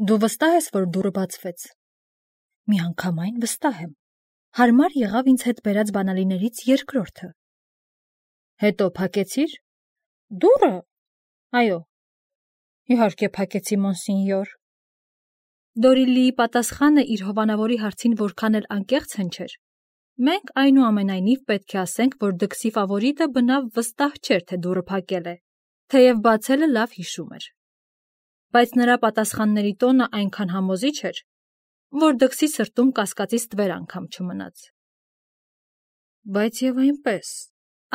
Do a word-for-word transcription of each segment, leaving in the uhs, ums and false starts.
Դու վստահ ես, որ դուռը բացվեց։ Միանգամայն վստահ եմ։ Հարմար եղավ ինձ հետ բերած բանալիներից երկրորդը։ Հետո փակեցիր։ Դուռը։ Այո։ Իհարկե փակեցի, մոնսինյոր։ Դորիլիի պատասխանը իր հովանավորի հարցին որքան էլ անկեղծ հնչեր։ Մենք այնուամենայնիվ պետք է ասենք, որ դքսի ֆավորիտը բնավ վստահ չէր, թե դուռը փակել է, թեև բացելը լավ հիշում էր։ Բայց նրա պատասխանների տոնը այնքան համոզիչ էր, որ դքսի սրտում կասկածից տվեր անգամ չմնաց։ Բայց եւ այնպես,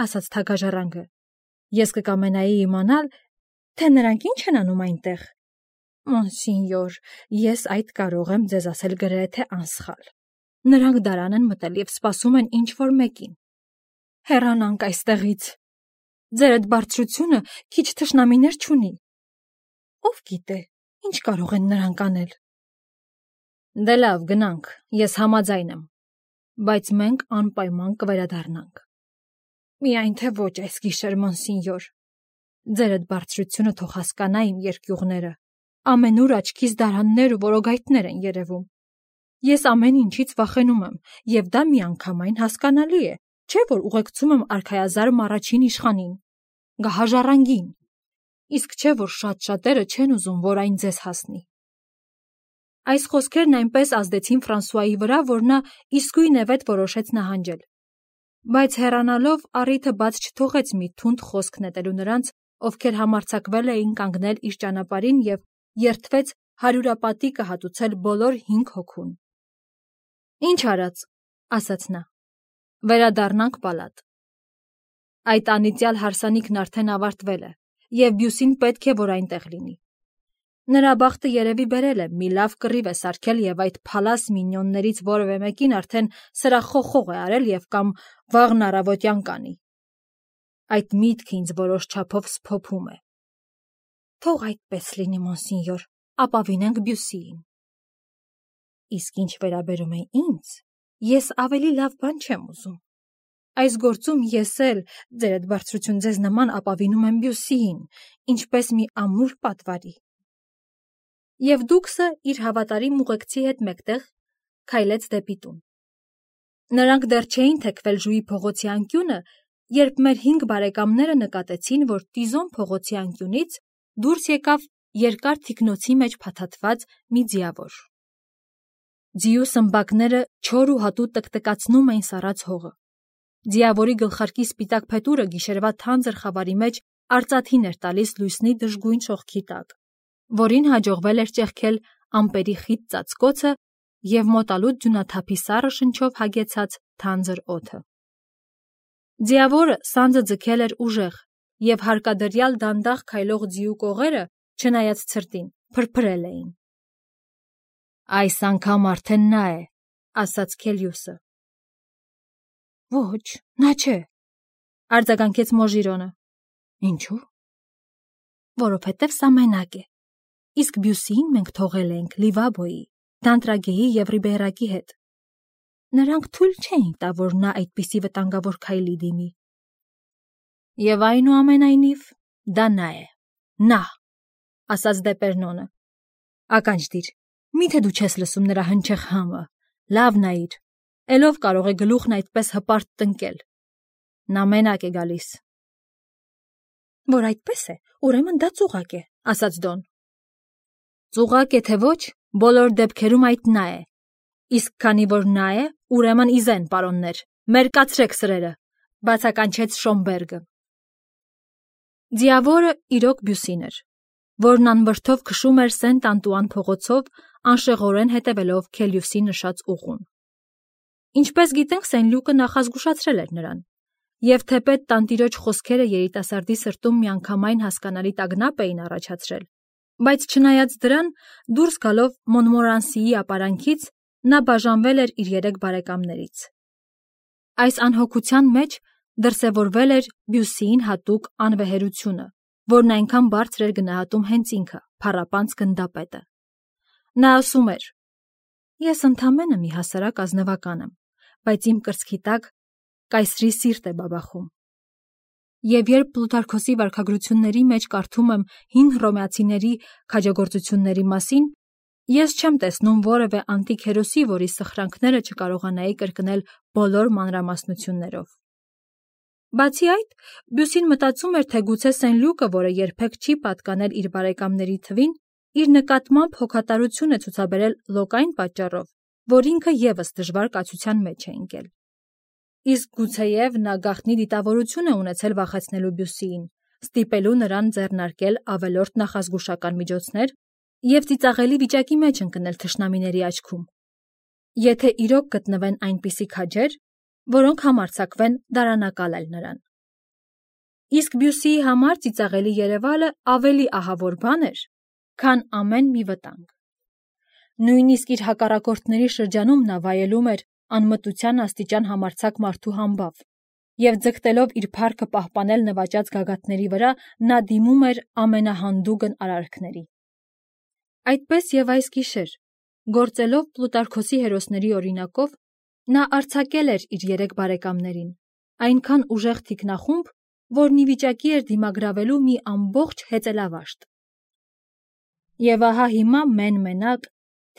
ասաց թագաժառանգը, ես կկամենայի իմանալ, թե նրանք ինչ են անում այնտեղ։ Մոնսինյոր, ես այդ կարող եմ ձեզ ասել գրեթե անսխալ։ Նրանք դարան են մտել եւ սպասում են ինչ-որ մեկին։ Հեռանանք այստեղից։ Ձեր այդ բարձրությունը քիչ թշնամիներ չունի։ Ով գիտե, ինչ կարող են նրանք անել։ Դե լավ, գնանք, ես համաձայն եմ, բայց մենք անպայման կվերադառնանք։ Միայն թե ոչ այս գիշեր, մոնսինյոր։ Ձեր այդ բարձրությունը թող հասկանա իմ երկյուղները։ Ամենուր աչքիս դարաններ ու որոգայթներ են երևում։ Ես ամեն ինչից վախենում եմ, եւ դա միանգամայն հասկանալի է, չէ՞ որ ուղեկցում եմ արքայազարմ առաջին իշխանին, գահաժառանգին, իսկ չէ՞ որ շատ շատերը չեն ուզում, որ այն ձեզ հասնի։ Այս խոսքերն այնպես ազդեցին Ֆրանսուայի վրա, որ նա իսկույն եւեթ որոշեց նահանջել։ Բայց հեռանալով առիթը բաց չթողեց մի թունդ խոսք նետելու նրանց, ովքեր համարձակվել էին կանգնել իր ճանապարհին եւ երդվեց հարյուրապատիկը հատուցել բոլոր հինգ հոգուն։ Ինչ արած, ասաց նա, վերադառնանք պալատ։ Այդ անիծյալ հարսանիքն արդեն ավարտվել է, եւ Բյուսին պետք է, որ այնտեղ լինի։ Նրա բախտը երևի բերել է, մի լավ կռիվ է սարքել եւ այդ փալաս մինյոններից որևէ մեկին արդեն սրախոխող է արել եւ կամ վաղն առավոտյան կանի։ Այդ միտքը ինձ որոշ չափով սփոփում է։ Թող այդպես լինի, մոնսինյոր, ապավինենք Բյուսիին։ Իսկ ինչ վերաբերում է ինձ, ես ավելի լավ բան չեմ ուզում։ Այս գործում ես էլ, ձեր այդ բարձրություն ձեզ նման ապավինում եմ Բյուսիին, ինչպես մի ամուր պատվարի։ Եվ դուքսը իր հավատարիմ ուղեկցի հետ մեկտեղ քայլեց դեպի տուն։ Նրանք դեռ չէին թեքվել Ժուի փողոցի անկյունը, երբ մեր հինգ բարեկամները նկատեցին, որ Տիզոն փողոցի անկյունից դուրս եկավ երկար թիկնոցի մեջ փաթաթված մի ձիավոր։ Ձիու սմբակները չոր ու հատու տկտկացնում էին սառած հողը։ Ձիավորի գլխարկի սպիտակ փետուրը գիշերվա թանձր խավարի մեջ արծաթին էր տալիս լույսնի դժգույն շողքի տակ, որին հաջողվել էր ճեղքել ամպերի խիտ ծածկոցը և մոտալուտ ձյունաթափի սառը շնչով հագեցած թանձր օդը։ Ձիավորը սանձը ձգել էր ուժեղ, և հարկադրյալ դանդաղ քայլող ձիու կողերը, չնայած ցրտին, փրփրել էին։ Այս անգամ արդեն նա է, ասաց Քելիուսը։ Ոչ, նա չէ, արձագանքեց Մոժիրոնը։ Ինչու՞։ Որովհետև սա մենակ է, իսկ Բյուսիին մենք թողել ենք Լիվաբոյի, Դանտրագեի և Ռիբերակի հետ։ Նրանք թույլ չէին տա, որ նա այդպիսի վտանգավոր քայլի դիմի։ Եվ այնուամենայնիվ դա նա է, նա, ասաց Դեպերնոնը։ Ականջ դիր, միթե դու չես լսում նրա հնչեղ համը, լավ նայիր, էլով կարող է գլուխն այդպես հպարտ տնկել։ Նա մենակ է գալիս։ Որ այդպես է, ուրեմն դա ծուղակ է, ասաց Դոն։ Ծուղակ է թե ոչ, բոլոր դեպքերում այդ նա է։ Իսկ քանի որ նա է, ուրեմն իզեն, պարոններ, մերկացրեք սրերը, բացականչեց Շոմբերգը։ Ձիավորը իրոք Բյուսին էր, որն անվրդով քշում էր Սենտ Անտուան փողոցով, անշեղորեն հետևելով Քելիուսի նշած ուղուն։ Ինչպես գիտենք, Սեն-Լյուկը նախազգուշացրել էր նրան, և թեպետ տանտիրոջ խոսքերը երիտասարդի սրտում միանգամայն հասկանալի տագնապ էին առաջացրել, բայց չնայած դրան, դուրս գալով Մոնմորանսիի ապարանքից, նա բաժանվել էր իր երեք բարեկամներից։ Այս անհոգության մեջ դրսևորվել էր Բյուսիին հատուկ անվեհերությունը, որն այնքան բարձր էր գնահատում հենց ինքը, փառապանծ գնդապետը։ Նա ասում էր. «Ես ընդամենը մի հասարակ ազնվական եմ, բայց իմ կրծքի տակ կայսրի սիրտ է բաբախում»։ Եվ երբ Պլութարքոսի վարքագրությունների մեջ կարդում եմ հին հռոմեացիների քաջագործությունների մասին, Ես չեմ տեսնում որևէ անտիկ հերոսի, որի սխրանքները չկարողանայի կրկնել բոլոր մանրամասնություններով։ Բացի այդ, Բյուսին մտածում էր, թե գուցե Սեն-Լյուկը, որը երբեք չի պատկանել իր բարեկամների թվին, իր նկատմամբ հոգատարություն է ցուցաբերել լոկ այն պատճառով, որ ինքը ևս դժվար կացության մեջ է ընկել։ Իսկ գուցեև նա գաղտնի դիտավորություն է ունեցել վախեցնելու Բյուսիին, ստիպելու նրան ձեռնարկել ավելորդ նախազգուշական միջոցներ և ծիծաղելի վիճակի մեջ ընկնել թշնամիների աչքում, եթե իրոք գտնվեն այնպիսի քաջեր, որոնք համարձակվեն դարանակալել նրան։ Իսկ Բյուսիի համար ծիծաղելի երևալը ավելի ահավոր բան էր, քան ամեն մի վտանգ։ Նույնիսկ իր հակառակորդների շրջանում նա վայելում էր անմտության աստիճան համարձակ մարդու համբավ, և ձգտելով իր փառքը պահպանել նվաճած գագաթների վրա, նա դիմում էր ամենահանդուգն արարքների։ Այդպես և այս գիշեր, գործելով Պլուտարքոսի հերոսների օրինակով, նա արձակել էր իր երեք բարեկամներին, այնքան ուժեղ թիկնախումբ, որն ի վիճակի էր դիմագրավելու մի ամբողջ հեծելավաշտ։ Եվ ահա հիմա մեն-մենակ,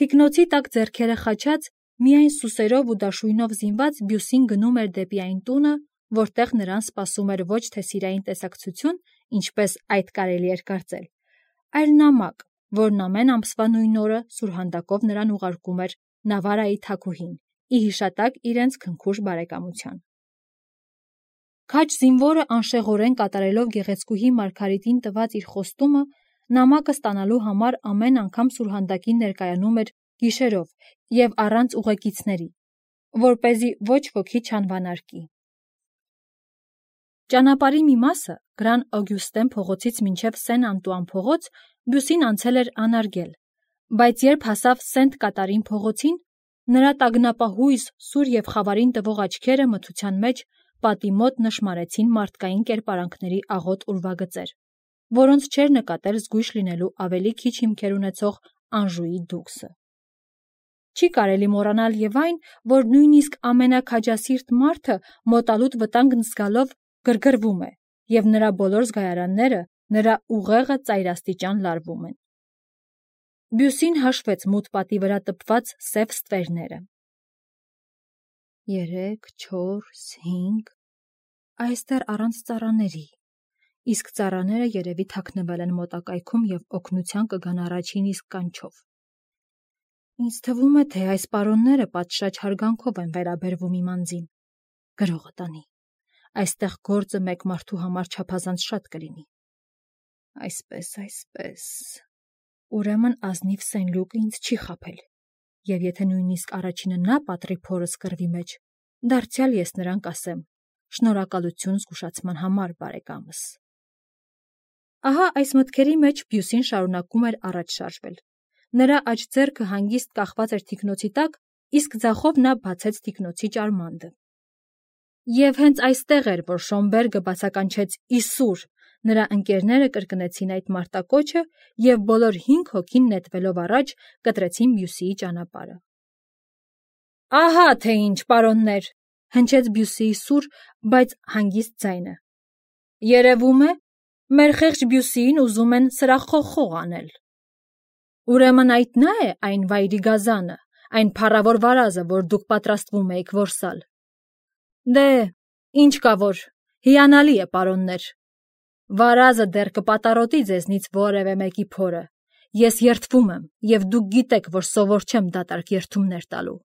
թիկնոցի տակ ձեռքերը խաչած, միայն սուսերով ու դաշույնով զինված Բյուսին գնում էր դեպի այն տունը, որտեղ նրան սպասում էր ոչ թե սիրային տեսակցություն, ինչպես այդ կարելի էր կարծել, այլ նամակ, որն ամեն ամսվա նույն օրը սուրհանդակով նրան ուղարկում էր Նավարայի թագուհին, ի հիշատակ իրենց քնքուշ բարեկամության։ Քաջ զինվորը անշեղորեն կատարելով գեղեցկուհի Մարգարիտին տված իր խոստումը, նամակը ստանալու համար ամեն անգամ սուրհանդակին ներկայանում էր գիշերով և առանց ուղեկիցների, որպեսզի ոչ ոքի չանվանարկի։ Ճանապարհի մի մասը, Գրան Օգյուստեն փողոցից մինչև Սեն-Անտուան փողոց, Բյուսին անցել էր անարգել, բայց երբ հասավ Սենտ Կատարին փողոցին, նրա տագնապահույս, սուր և խավարին տվող աչքերը մթության մեջ պատի մոտ նշմարեցին մարդկային կերպարանքների աղոտ ուրվագծեր, որոնց չէր նկատել զգույշ լինելու ավելի քիչ հիմքեր ունեցող Անժուի դուքսը։ Չի կարելի մոռանալ և այն, որ նույնիսկ ամենաքաջասիրտ մարդը մոտալուտ վտանգն զգալով գրգռվում է, և նրա բոլոր զգայարանները նրա ուղեղը ծայրաստիճան լարվում են։ Բյուսին հաշվեց մութ պատի վրա տպված սև ստվերները։ Երեք, չորս, հինգ… Այստեղ առանց ծառաների, իսկ ծառաները երևի թաքնվել են մոտակայքում և օգնության կգան առաջին իսկ կանչով։ Ինձ թվում է, թե այս պարոնները պատշաճ հարգանքով են վերաբերվում իմ անձին։ Գրողը տանի, այստեղ գործը մեկ մարդու համար չափազանց շատ կլինի։ Այսպես, այսպես… Ուրեմն ազնիվ Սեն-Լյուկը ինձ չի խաբել, և եթե նույնիսկ առաջինը նա պատռի փորս կռվի մեջ, դարձյալ ես նրան կասեմ. շնորհակալություն զգուշացման համար, բարեկամս։ Ահա այս մտքերի մեջ Բյուսին շարունակում էր առաջ շարժվել։ Նրա աջ ձեռքը հանգիստ կախված էր թիկնոցի տակ, իսկ ձախով նա բացեց թիկնոցի ճարմանդը։ Եվ հենց այստեղ էր, որ Շոմբերգը բացականչեց «Իսուր», նրա ընկերները կրկնեցին այդ մարտակոչը և բոլոր հինգ հոգին նետվելով առաջ կտրեցին Բյուսիի ճանապարհը։ Ահա թե ինչ, պարոններ, հնչեց Բյուսիի սուր, բայց հանգիստ ձայնը։ Երևում է, մեր խեղճ Բյուսիին ուզում են սրախխոխող անել։ Ուրեմն այդ նա է այն վայրի գազանը, այն փառավոր վարազը, որ դուք պատրաստվում էիք որսալ։ Դե, ինչ կա որ, հիանալի է, պարոններ։ Վարազը դեռ կպատառոտի ձեզնից որևէ մեկի փորը։ Ես երդվում եմ, և դուք գիտեք, որ սովոր չեմ դատարկ երդումներ տալու։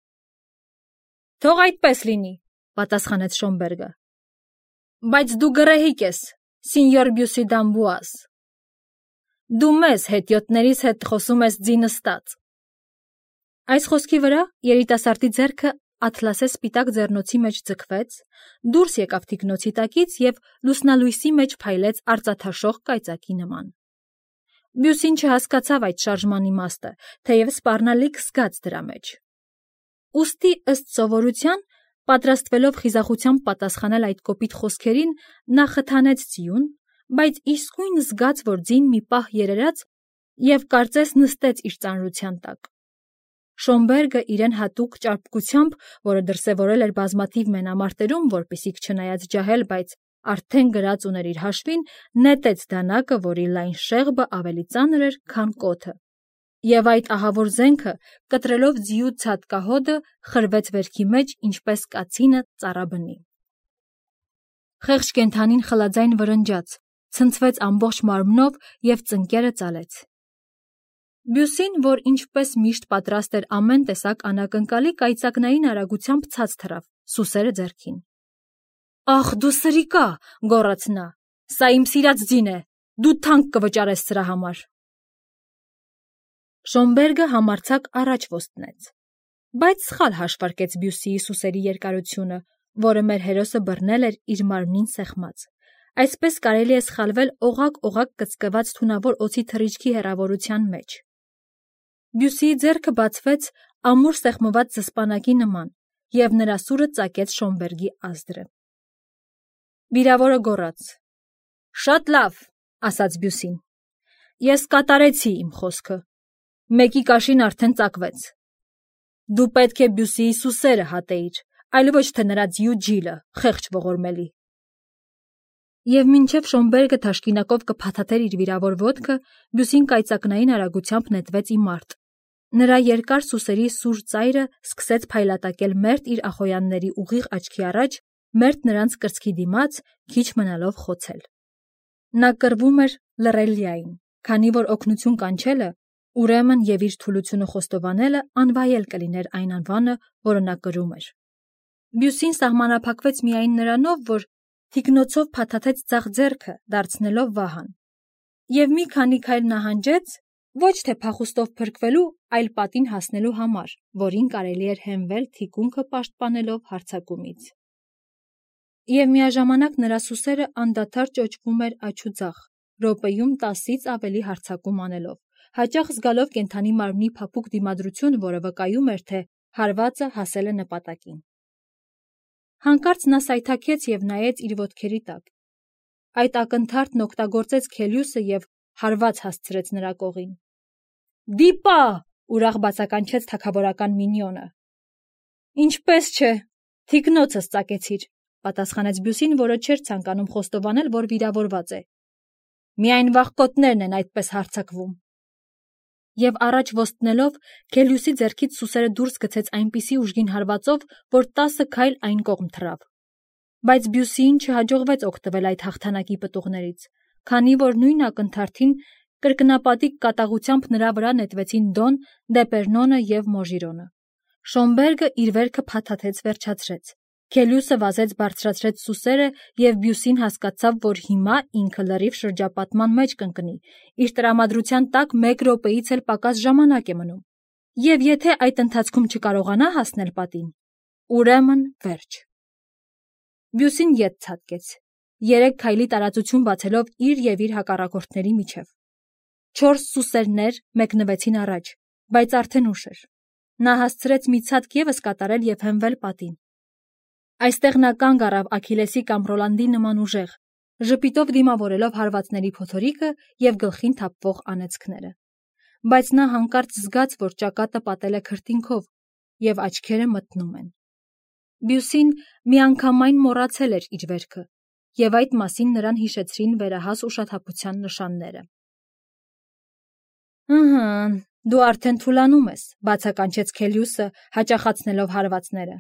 Թող այդպես լինի, պատասխանեց Շոմբերգը։ Բայց դու գռեհիկ ես, սինյոր Բյուսի դ'Ամբուազ։ Դու մեզ հետիոտներիս հետ խոսում ես ձի նստած։ Այս խոսքի վրա երիտասարդի ձեռքը աթլասե սպիտակ ձեռնոցի մեջ ձգվեց, դուրս եկավ թիկնոցի տակից և լուսնալույսի մեջ փայլեց արծաթաշող կայծակի նման։ Բյուսին չհասկացավ այդ շարժման իմաստը, թեև սպառնալիք զգաց դրա մեջ։ Ուստի, ըստ սովորության, պատրաստվելով խիզախությամբ պատասխանել այդ կոպիտ խոսքերին, նա խթանեց ձիուն, բայց իսկույն զգաց, որ ձին մի պահ երերաց և կարծես նստեց իր ծանրության տակ։ Շոմբերգը իրեն հատուկ ճարպկությամբ, որը դրսևորել էր բազմաթիվ մենամարտերում, որպեսզի չնայած ջահել, բայց արդեն գրած ուներ իր հաշվին, նետեց դանակը, որի լայն շեղբը ավելի ծանր էր, քան կոթը։ Եվ այդ ահավոր զենքը, կտրելով ձիու ցատկահոդը, խրվեց վերքի մեջ, ինչպես կացինը ծառաբնի։ Խեղճ կենդանին խլաձայն վրնջաց, ցնցվեց ամբողջ մարմնով և ծնկերը ծալեց։ Բյուսին, որ ինչպես միշտ պատրաստ էր ամեն տեսակ անակնկալի, կայծակնային արագությամբ ցած թռավ, սուսերը ձեռքին։ «Ախ, դու սրիկա», գոռաց նա, «սա իմ սիրած ձին է, դու թանկ կվճարես սրա համար»։ Շոմբերգը համարձակ առաջ ոստնեց, բայց սխալ հաշվարկեց Բյուսիի սուսերի երկարությունը, որը մեր հերոսը բռնել էր իր մարմնին սեղմած։ Այսպես կարելի է սխալվել օղակ-օղակ կծկված թունավոր օձի թռիչքի հեռավորության մեջ։ Բյուսիի ձեռքը բացվեց ամուր սեղմված զսպանակի նման, և նրա սուրը ծակեց Շոմբերգի ազդրը։ Վիրավորը գոռաց. «Շատ լավ», ասաց Բյուսին, «ես կատարեցի իմ խոսքը, մեկի կաշին արդեն ծակվեց։ Դու պետք է Բյուսիի սուսերը հատեիր, այլ ոչ թե նրա ձիու ջիլը, խեղճ ողորմելի»։ Եվ մինչև Շոմբերգը թաշկինակով կփաթաթեր իր վիրավոր ոտքը, Բյուսին կայծակնային արագությամբ նետվեց ի մարտ։ Նրա երկար սուսերի սուր ծայրը սկսեց փայլատակել մերթ իր ախոյանների ուղիղ աչքի առաջ, մերթ նրանց կրծքի դիմաց, քիչ մնալով խոցել։ Նա կռվում էր լռելիային, քանի որ օգնություն կանչելը, ուրեմն և իր թուլությունը խոստովանելը անվայել կլիներ այն անվանը, որը նա կրում էր։ Բյուսին սահմանափակվեց միայն նրանով, որ թիկնոցով փաթաթեց ձախ ձեռքը, դարձնելով վահան, և մի քանի քայլ նահանջեց, ոչ թե փախուստով փրկվելու, այլ պատին հասնելու համար, որին կարելի էր հենվել թիկունքը պաշտպանելով հարձակումից։ Եվ միաժամանակ նրա սուսերը անդադար ճոճվում էր աջ ու ձախ, րոպեում տասից ավելի հարձակում անելով, հաճախ զգալով կենդանի մարմնի փափուկ դիմադրություն, որը վկայում էր, թե հարվածը հասել է նպատակին։ Հանկարծ նա սայթաքեց և նայեց իր ոտքերի տակ։ Այդ ակնթարթն օգտագործեց Քելիուսը և հարված հասցրեց նրա կողին։ «Դիպա», ուրախ բացականչեց թագավորական մինիոնը։ «Ինչպես չէ, թիկնոցս ծակեցիր», պատասխանեց Բյուսին, որը չէր ցանկանում խոստովանել, որ վիրավորված է։ «Միայն վախկոտներն են այդպես հարձակվում»։ Եվ առաջ ոստնելով, Քելիուսի ձեռքից սուսերը դուրս գցեց այնպիսի ուժգին հարվածով, որ տասը քայլ այն կողմ թռավ։ Բայց Բյուսիին չհաջողվեց օգտվել այդ հաղթանակի պտուղներից, քանի որ նույն ակնթարթին կրկնապատիկ կատաղությամբ նրա վրա նետվեցին Դոն, Դեպերնոնը և Մոժիրոնը։ Շոմբերգը իր վերքը փաթաթեց վերջացրեց։ Քելիուսը վազեց բարձրացրեց սուսերը, և Բյուսին հասկացավ, որ հիմա ինքը լրիվ շրջապատման մեջ կընկնի, իր տրամադրության տակ մեկ րոպեից էլ պակաս ժամանակ է մնում, և եթե այդ ընթացքում չկարողանա հասնել պատին, ուրեմն վերջ։ Բյուսին ետ ցատկեց, երեք քայլի տարածություն բացելով իր և իր հակառակորդների միջև։ Չորս սուսերներ մեկնվեցին առաջ, բայց արդեն ուշ էր։ Նա հասցրեց մի ցատկ ևս կատարել և հենվել պատին։ Այստեղ նա կանգ առավ Աքիլեսի կամ Ռոլանդի նման ուժեղ, ժպիտով դիմավորելով հարվածների փոթորիկը և գլխին թափվող անեծքները։ Բայց նա հանկարծ զգաց, որ ճակատը պատել է քրտինքով, և աչքերը մթնում են։ Բյուսին միանգամայն մոռացել էր իր վերքը, և այդ մասին նրան հիշեցրին վերահաս ուշաթափության նշանները։ «Ըհը, դու արդեն թուլանում ես», բացականչեց Քելիուսը, հաճախացնելով հարվածները։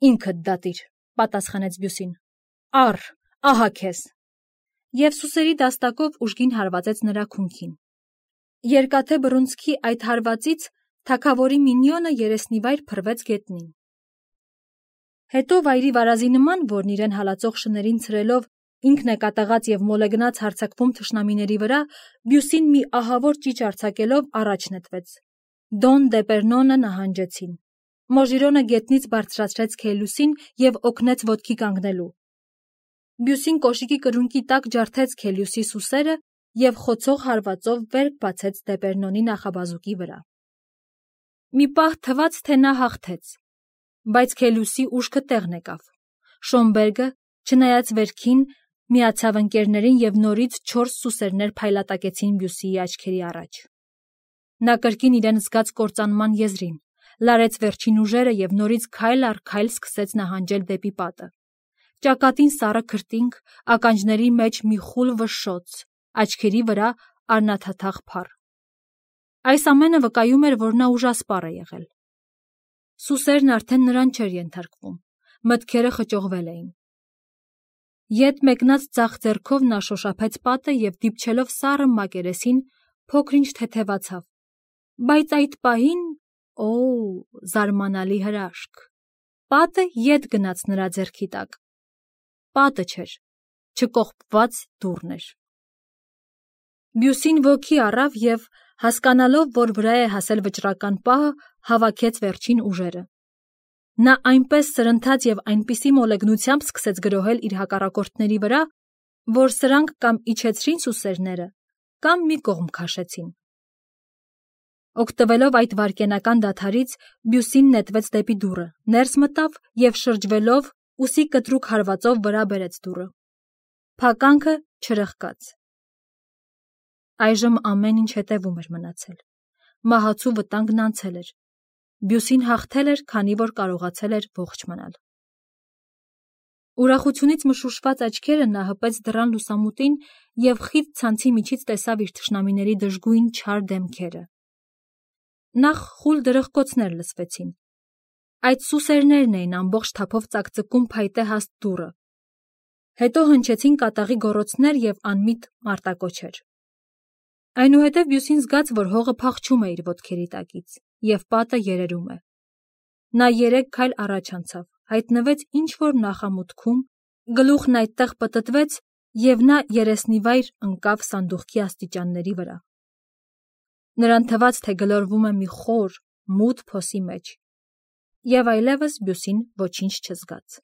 «Ինքդ դատիր», պատասխանեց Բյուսին։ «Առ, ահա քեզ»։ Եվ սուսերի դաստակով ուժգին հարվածեց նրա քունքին։ Երկաթե բռունցքի այդ հարվածից թագավորի մինիոնը երեսնիվայր փռվեց գետնին։ Հետո վայրի վարազի նման, որն իրեն հալածող շներին ցրելով ինքն է կատաղած և մոլեգնած հարձակվում թշնամիների վրա, Բյուսին մի ահավոր ճիչ արձակելով առաջ նետվեց։ Դոն, Դեպերնոնը նահանջեցին։ Մոժիրոնը գետնից բարձրացրեց Քելիուսին և օգնեց ոտքի կանգնելու։ Բյուսին կոշիկի կրունկի տակ ջարդեց Քելիուսի սուսերը և խոցող հարվածով վերք բացեց Դեպերնոնի նախաբազուկի վրա։ Մի պահ թվաց, թե նա հաղթեց, բայց Քելիուսի ուշքը տեղն եկավ։ Շոմբերգը, չնայած վերքին, միացավ ընկերներին և նորից չորս սուսերներ փայլատակեցին Բյուսիի աչքերի առաջ։ Նա կրկին իրեն զգաց կործանման եզրին, լարեց վերջին ուժերը և նորից քայլ առ քայլ սկսեց նահանջել դեպի պատը։ Ճակատին սառը քրտինք, ականջների մեջ մի խուլ վշշոց, աչքերի վրա արնաթաթախ փառ։ Այս ամենը վկայում էր, որ նա ուժասպառ է եղել։ Սուսերն արդեն նրան չէր ենթարկվում, մտքերը խճողվել էին։ Ետ մեկնած ձախ ձեռքով նա շոշափեց պատը և դիպչելով սառը մակերեսին փոքր-ինչ թեթևացավ, բայց այդ պահին, օ, զարմանալի հրաշք, պատը ետ գնաց նրա ձեռքի տակ։ Պատը չէր, չկողպված դուռն էր։ Բյուսին ոգի առավ և, հասկանալով, որ վրա է հասել վճռական պահը, հավաքեց վերջին ուժերը։ Նա այնպես սրընթաց և այնպիսի մոլեգնությամբ սկսեց գրոհել իր հակառակորդների վրա, որ սրանք կամ իջեցրին սուսերները, կամ մի կողմ քաշեցին։ Օգտվելով այդ վայրկենական դադարից, Բյուսին նետվեց դեպի դուռը, ներս մտավ և շրջվելով, ուսի կտրուկ հարվածով վրա բերեց դուռը։ Փականքը չրխկաց։ Այժմ ամեն ինչ հետևում էր մնացել։ Մահացու վտանգն անցել էր։ Բյուսին հաղթել էր, քանի որ կարողացել էր ողջ մնալ։ Ուրախությունից մշուշված աչքերը նա հպեց դռան լուսամուտին և խիտ ցանցի միջից տեսավ իր թշնամիների դժգույն չար դեմքերը։ Նախ խուլ դրխկոցներ լսվեցին։ Այդ սուսերներն էին ամբողջ թափով ծակծկում փայտե հաստ դուռը։ Հետո հնչեցին կատաղի գոռոցներ և անմիտ մարտակոչեր։ Այնուհետև Բյուսին զգաց, որ հողը փախչում է իր ոտքերի տակից, և պատը երերում է։ Նա երեք քայլ առաջ անցավ, հայտնվեց ինչ-որ նախամուտքում, գլուխն այդտեղ պտտվեց, և նա երեսնիվայր ընկավ սանդուղքի աստիճանների վրա։ Նրան թվաց, թե գլորվում է մի խոր, մութ փոսի մեջ, և այլևս Բյուսին ոչինչ չզգաց։